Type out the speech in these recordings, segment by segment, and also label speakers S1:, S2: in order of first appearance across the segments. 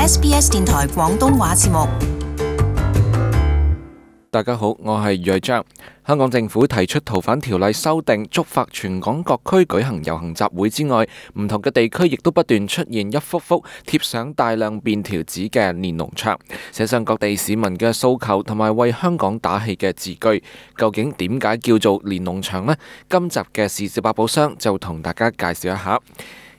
S1: SBS 電台廣東話節目。
S2: 大家好，我係余章。香港政府提出逃犯條例修訂，觸發全港各區舉行遊行集會之外，唔同嘅地區亦都不斷出現一幅幅貼上大量便條紙嘅連儂牆，寫上各地市民嘅訴求同埋為香港打氣嘅字句。究竟點解叫做連儂牆呢？今集嘅時事百寶箱就同大家介紹一下。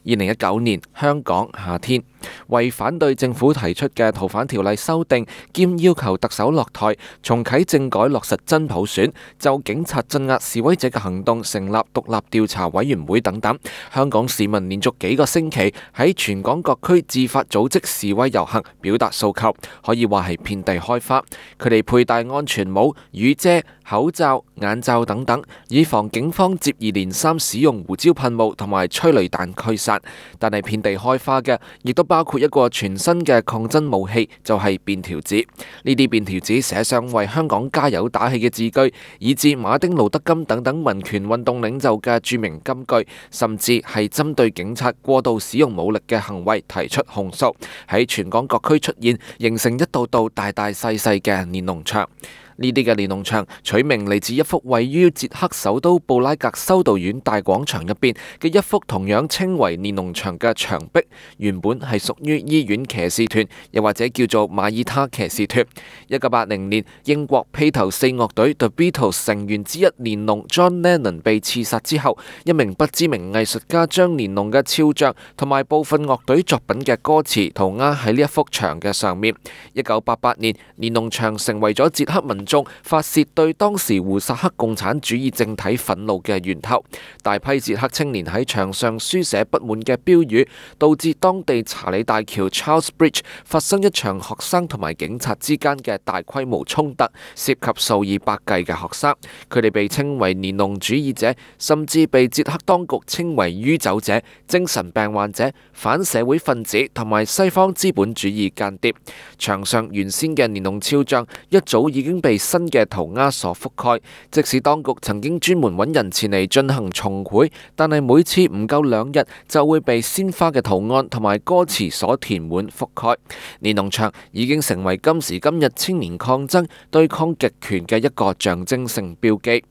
S2: 2019年香港夏天，為反對政府提出嘅逃犯條例修訂，兼要求特首落台，重啟政改，落實真普選，就警察鎮壓示威者嘅行動成立獨立調查委員會等等，香港市民連續幾個星期喺全港各區自發組織示威遊行，表達訴求，可以話係遍地開花。佢哋佩戴安全帽、雨遮、口罩、眼罩等等，以防警方接二連三使用胡椒噴霧同埋催淚彈驅散。但係遍地開花嘅，亦都包括一個全新嘅抗爭武器，就係便條紙。呢啲便條紙寫上為香港加油打氣嘅字句，以至馬丁路德金等等民權運動領袖嘅著名金句，甚至係針對警察過度使用武力嘅行為提出控訴，喺全港各區出現，形成一道道大大細細嘅連儂牆。呢啲嘅連儂牆取名嚟自一幅位於捷克首都布拉格修道院大廣場入邊嘅一幅同樣稱為連儂牆嘅牆壁，原本係屬於醫院騎士團，又或者叫做馬爾他騎士團。1980年，英國披頭四樂隊 The Beatles 成員之一連儂 John Lennon 被刺殺之後，一名不知名藝術家將連儂嘅肖像同埋部分樂隊作品嘅歌詞塗鴉喺呢一幅牆嘅上面。1988年，連儂牆成為咗捷克民眾發洩對當時胡薩克共產主義政體憤怒嘅源頭，大批捷克青年喺牆上書寫不滿嘅標語，導致當地查理大橋 Charles Bridge 發生一場學生同埋警察之間嘅大規模衝突，涉及數以百計嘅學生。佢哋被稱為連儂主義者，甚至被捷克當局稱為酗酒者、精神病患者、反社會分子同埋西方資本主義間諜。牆上原先嘅連儂肖像一早已經被新嘅塗鴉所覆蓋，即使當局曾經專門揾人前嚟進行重繪，但係每次唔夠2日就會被鮮花嘅圖案同埋歌詞所填滿覆蓋。連儂牆已經成為今時今日青年抗爭對抗極權嘅一個象徵性標記。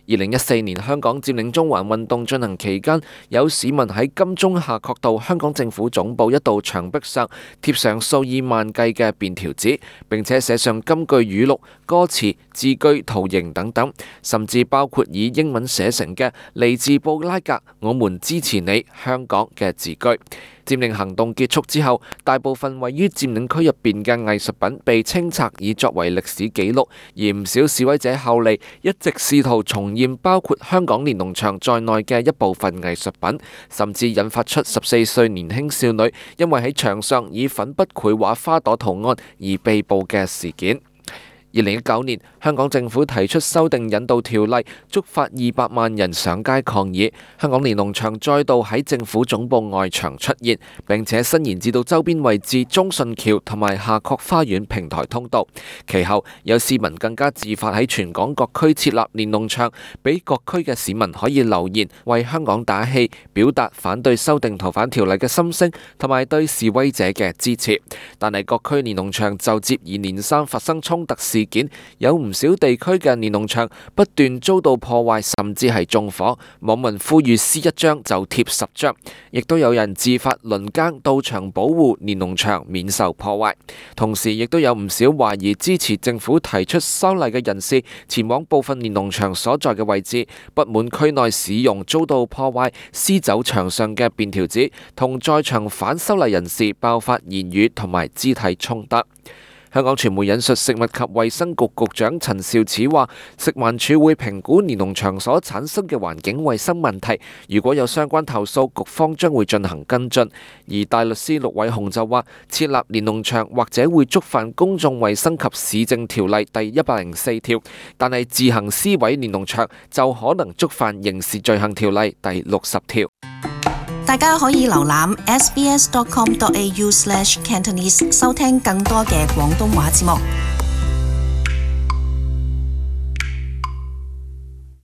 S2: 2014年香港佔領中環運動進行期間，有市民喺金鐘夏慤道香港政府總部一道牆壁上貼上數以萬計嘅便條紙，並且寫上金句語錄、歌詞、字句、圖形等等，甚至包括以英文寫成嘅嚟自布拉格，我們支持你，香港嘅字句。佔領行動結束之後，大部分位於佔領區入邊嘅藝術品被清拆，以作為歷史記錄。而唔少示威者後嚟一直試圖重現包括香港連儂牆在內嘅一部分藝術品，甚至引發出14歲年輕少女因為喺牆上以粉筆繪畫花朵圖案而被捕嘅事件。2019年，香港政府提出修訂引渡條例，觸發200萬人上街抗議。香港連儂牆再度喺政府總部外牆出現，並且伸延至到周邊位置中信橋同埋夏慤花園平台通道。其後有市民更加自發喺全港各區設立連儂牆，俾各區嘅市民可以留言為香港打氣，表達反對修訂逃犯條例嘅心聲同埋對示威者嘅支持。但係各區連儂牆就接二連三發生衝突事件，有唔少地區嘅連儂牆不斷遭到破壞，甚至係縱火。網民呼籲撕一張就貼10張，亦都有人自發輪更到場保護連儂牆免受破壞。同時亦都有唔少懷疑支持政府提出修例嘅人士前往部分連儂牆所在嘅位置，不滿區內市容遭到破壞，撕走牆上嘅便條紙，同在場反修例人士爆發言語同埋肢體衝突。香港傳媒引述食物及衛生局局長陳肇始話，食環署會評估連儂牆所產生嘅環境衛生問題，如果有相關投訴，局方將會進行跟進。而大律師陸偉雄就話，設立連儂牆或者會觸犯公眾衛生及市政條例第104條，但係自行撕毀連儂牆就可能觸犯刑事罪行條例第60條。
S1: 大家可以瀏覽 sbs.com.au/cantonese 收聽更多嘅廣東話節目。